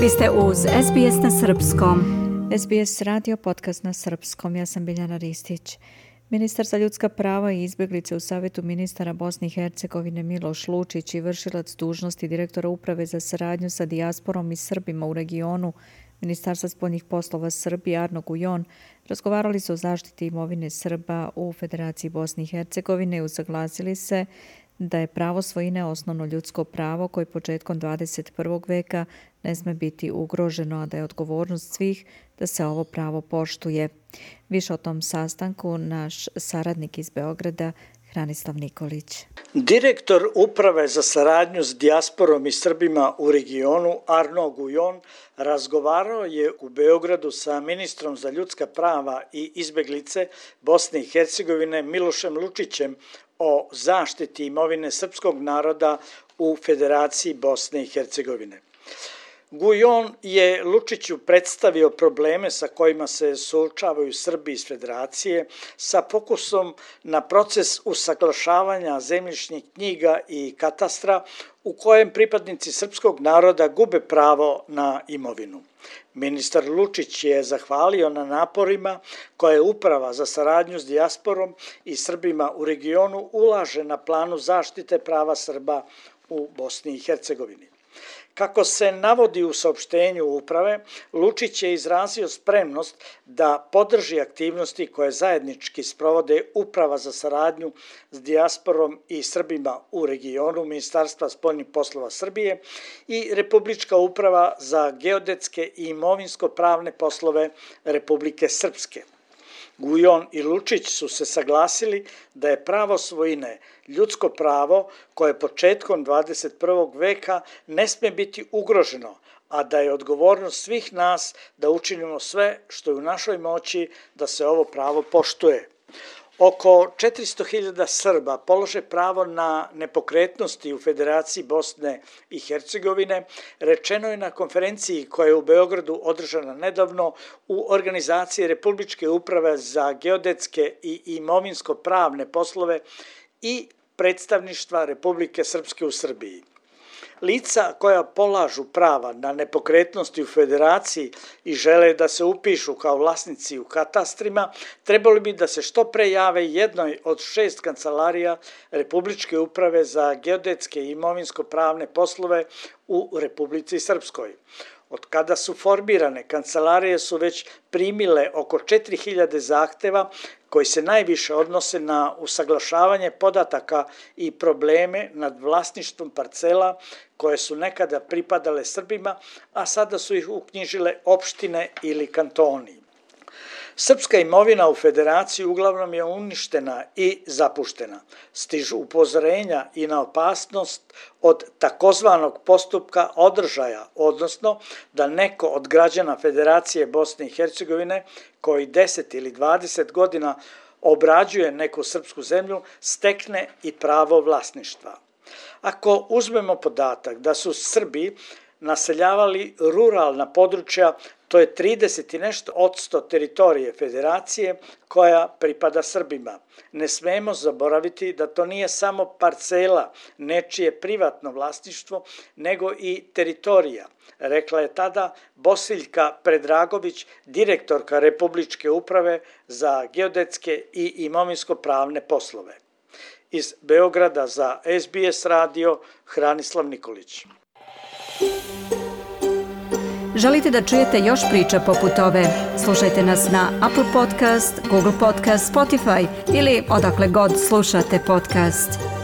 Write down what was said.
Vi ste uz SBS na srpskom. SBS radio podcast na srpskom. Ja sam Biljana Ristić. Ministar za ljudska prava i izbjeglice u Savjetu ministara Bosne i Hercegovine Miloš Lučić i vršilac dužnosti direktora Uprave za saradnju sa dijasporom i Srbima u regionu Ministarstva spoljnih poslova Srbije Arno Gujon razgovarali su o zaštiti imovine Srba u Federaciji Bosne i Hercegovine i usaglasili se da je pravo svojine osnovno ljudsko pravo koje početkom 21. veka ne sme biti ugroženo, a da je odgovornost svih da se ovo pravo poštuje. Više o tom sastanku naš saradnik iz Beograda, Hranislav Nikolić. Direktor Uprave za saradnju s dijasporom i Srbima u regionu Arno Gujon razgovarao je u Beogradu sa ministrom za ljudska prava i izbjeglice Bosne i Hercegovine Milošem Lučićem o zaštiti imovine srpskog naroda u Federaciji Bosne i Hercegovine. Gujon je Lučiću predstavio probleme sa kojima se suočavaju Srbi iz Federacije sa fokusom na proces usaglašavanja zemljišnih knjiga i katastra u kojem pripadnici srpskog naroda gube pravo na imovinu. Ministar Lučić je zahvalio na naporima koje Uprava za saradnju s dijasporom i Srbima u regionu ulaže na planu zaštite prava Srba u Bosni i Hercegovini. Kako se navodi u saopštenju Uprave, Lučić je izrazio spremnost da podrži aktivnosti koje zajednički sprovode Uprava za saradnju s dijasporom i Srbima u regionu Ministarstva spoljnih poslova Srbije i Republička uprava za geodetske i imovinsko-pravne poslove Republike Srpske. Gujon i Lučić su se saglasili da je pravo svojine ljudsko pravo koje početkom 21. veka ne sme biti ugroženo, a da je odgovornost svih nas da učinimo sve što je u našoj moći da se ovo pravo poštuje. Oko 400.000 Srba polože pravo na nepokretnosti u Federaciji Bosne i Hercegovine, rečeno je na konferenciji koja je u Beogradu održana nedavno u organizaciji Republičke uprave za geodetske i imovinsko-pravne poslove i predstavništva Republike Srpske u Srbiji. Lica koja polažu prava na nepokretnosti u Federaciji i žele da se upišu kao vlasnici u katastrima, trebali bi da se što pre jave jednoj od 6 kancelarija Republičke uprave za geodetske i imovinsko-pravne poslove u Republici Srpskoj. Od kada su formirane, kancelarije su već primile oko 4.000 zahteva koji se najviše odnose na usaglašavanje podataka i probleme nad vlasništvom parcela koje su nekada pripadale Srbima, a sada su ih uknjižile opštine ili kantoni. Srpska imovina u Federaciji uglavnom je uništena i zapuštena. Stižu upozorenja i na opasnost od takozvanog postupka održaja, odnosno da neko od građana Federacije Bosne i Hercegovine koji 10 ili 20 godina obrađuje neku srpsku zemlju stekne i pravo vlasništva. Ako uzmemo podatak da su Srbi naseljavali ruralna područja, to je 30 i nešto % teritorije Federacije koja pripada Srbima. Ne smemo zaboraviti da to nije samo parcela, nečije privatno vlasništvo, nego i teritorija, rekla je tada Bosiljka Predragović, direktorka Republičke uprave za geodetske i imovinsko-pravne poslove. Iz Beograda za SBS radio, Hranislav Nikolić. Želite da čujete još priča poput ove? Slušajte nas na Apple Podcast, Google Podcast, Spotify ili odakle god slušate podcast.